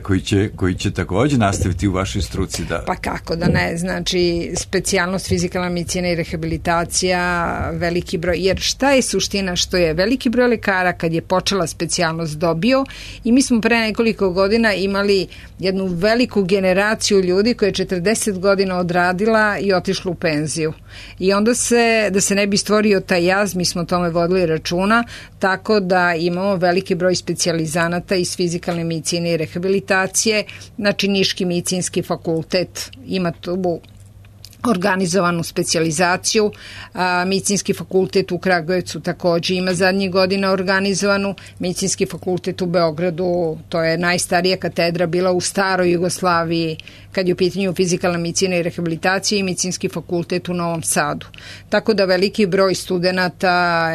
Speaker 1: koji će također nastaviti u vašoj struci?
Speaker 2: Pa kako da ne, znači specijalnost fizikalna medicina i rehabilitacija, veliki broj, jer šta je suština, što je veliki broj lekara kad je počela specijalnost dobio i mi smo pre nekoliko godina imali jednu veliku generaciju ljudi koja je 40 godina odradila i otišla u penziju. I onda da se ne bi stvorio taj jaz, mi smo tome vodili računa, tako da imamo veliki broj specijalizanata iz fizikalne medicine i rehabilitacije, znači Niški medicinski fakultet ima tu organizovanu specijalizaciju, medicinski fakultet u Kragujevcu također ima zadnjih godina organizovanu, medicinski fakultet u Beogradu, to je najstarija katedra bila u staroj Jugoslaviji kad je u pitanju fizikalna medicina i rehabilitacija, i medicinski fakultet u Novom Sadu. Tako da veliki broj studenata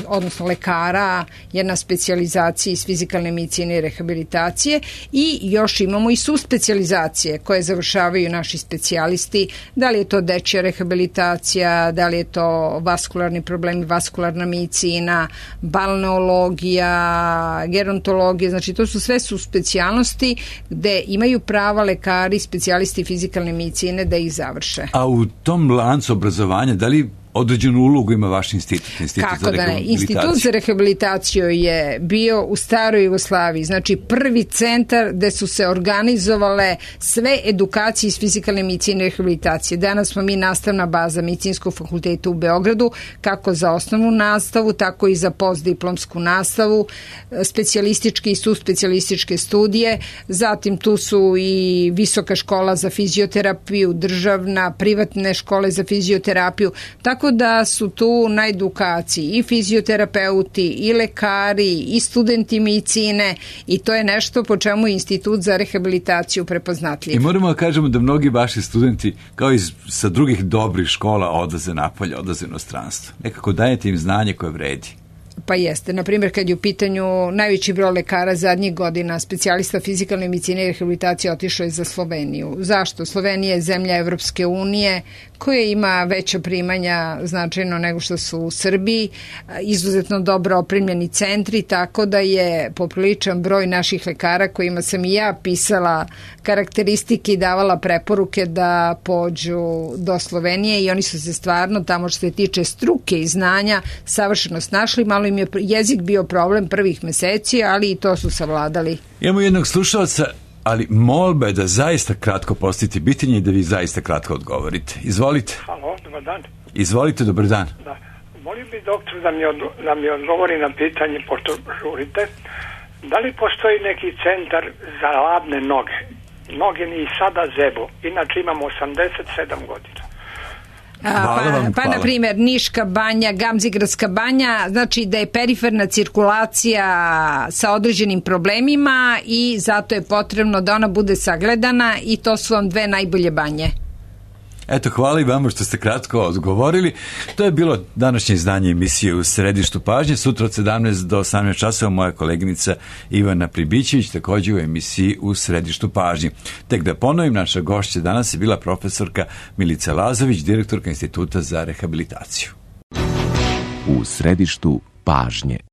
Speaker 2: odnosno lekara je na specijalizaciji iz fizikalne medicine i rehabilitacije i još imamo i suspecijalizacije koje završavaju naši specijalisti, da li je to dečja rehabilitacija, da li je to vaskularni problemi, vaskularna medicina, balneologija, gerontologija, znači to su sve specijalnosti gde imaju prava lekari, specijalisti fizikalne medicine da ih završe.
Speaker 1: A u tom lancu obrazovanja, da li određenu ulogu ima vaš institut?
Speaker 2: Kako da ne? Institut za rehabilitaciju je bio u staroj Jugoslaviji, znači prvi centar gde su se organizovale sve edukacije iz fizikalne medicine i rehabilitacije. Danas smo mi nastavna baza Medicinskog fakulteta u Beogradu, kako za osnovnu nastavu, tako i za postdiplomsku nastavu, specijalističke i suspecijalističke studije, zatim tu su i Visoka škola za fizioterapiju, državna, privatne škole za fizioterapiju, tako da su tu na edukaciji i fizioterapeuti, i lekari, i studenti medicine i to je nešto po čemu je Institut za rehabilitaciju prepoznatljiv.
Speaker 1: I moramo da kažemo da mnogi vaši studenti, kao i sa drugih dobrih škola, odlaze napolje, odlaze u inostranstvo. Nekako dajete im znanje koje vredi.
Speaker 2: Pa jeste. Naprimjer, kad je u pitanju najveći broj lekara zadnjih godina, specijalista fizikalne medicine i rehabilitacije otišao je za Sloveniju. Zašto? Slovenija je zemlja Evropske unije koje ima veća primanja značajno nego što su u Srbiji, izuzetno dobro opremljeni centri, tako da je popriličan broj naših lekara kojima sam i ja pisala karakteristike i davala preporuke da pođu do Slovenije i oni su se stvarno tamo što se tiče struke i znanja savršeno snašli. Malo im je jezik bio problem prvih meseci, ali i to su savladali.
Speaker 1: Imamo jednog slušalca, ali molba je da zaista kratko postavite pitanje i da vi zaista kratko odgovorite. Izvolite.
Speaker 21: Halo, dobar dan.
Speaker 1: Izvolite, dobar dan.
Speaker 21: Da. Molim bi doktor da mi odgovori na pitanje, pošto žurite, da li postoji neki centar za ladne noge? Noge mi i sada zebu, inače imam 87 godina.
Speaker 2: Pa na primjer Niška banja, Gamzigradska banja, znači da je periferna cirkulacija sa određenim problemima i zato je potrebno da ona bude sagledana i to su vam dve najbolje banje.
Speaker 1: Eto, hvala i vama što ste kratko odgovorili. To je bilo današnje izdanje emisije U središtu pažnje. Sutra od 17 do 18 časova moja koleginica Ivana Pribićević također u emisiji U središtu pažnje. Tek da ponovim, naša gošća danas je bila profesorka Milica Lazović, direktorka Instituta za rehabilitaciju.
Speaker 22: U središtu pažnje.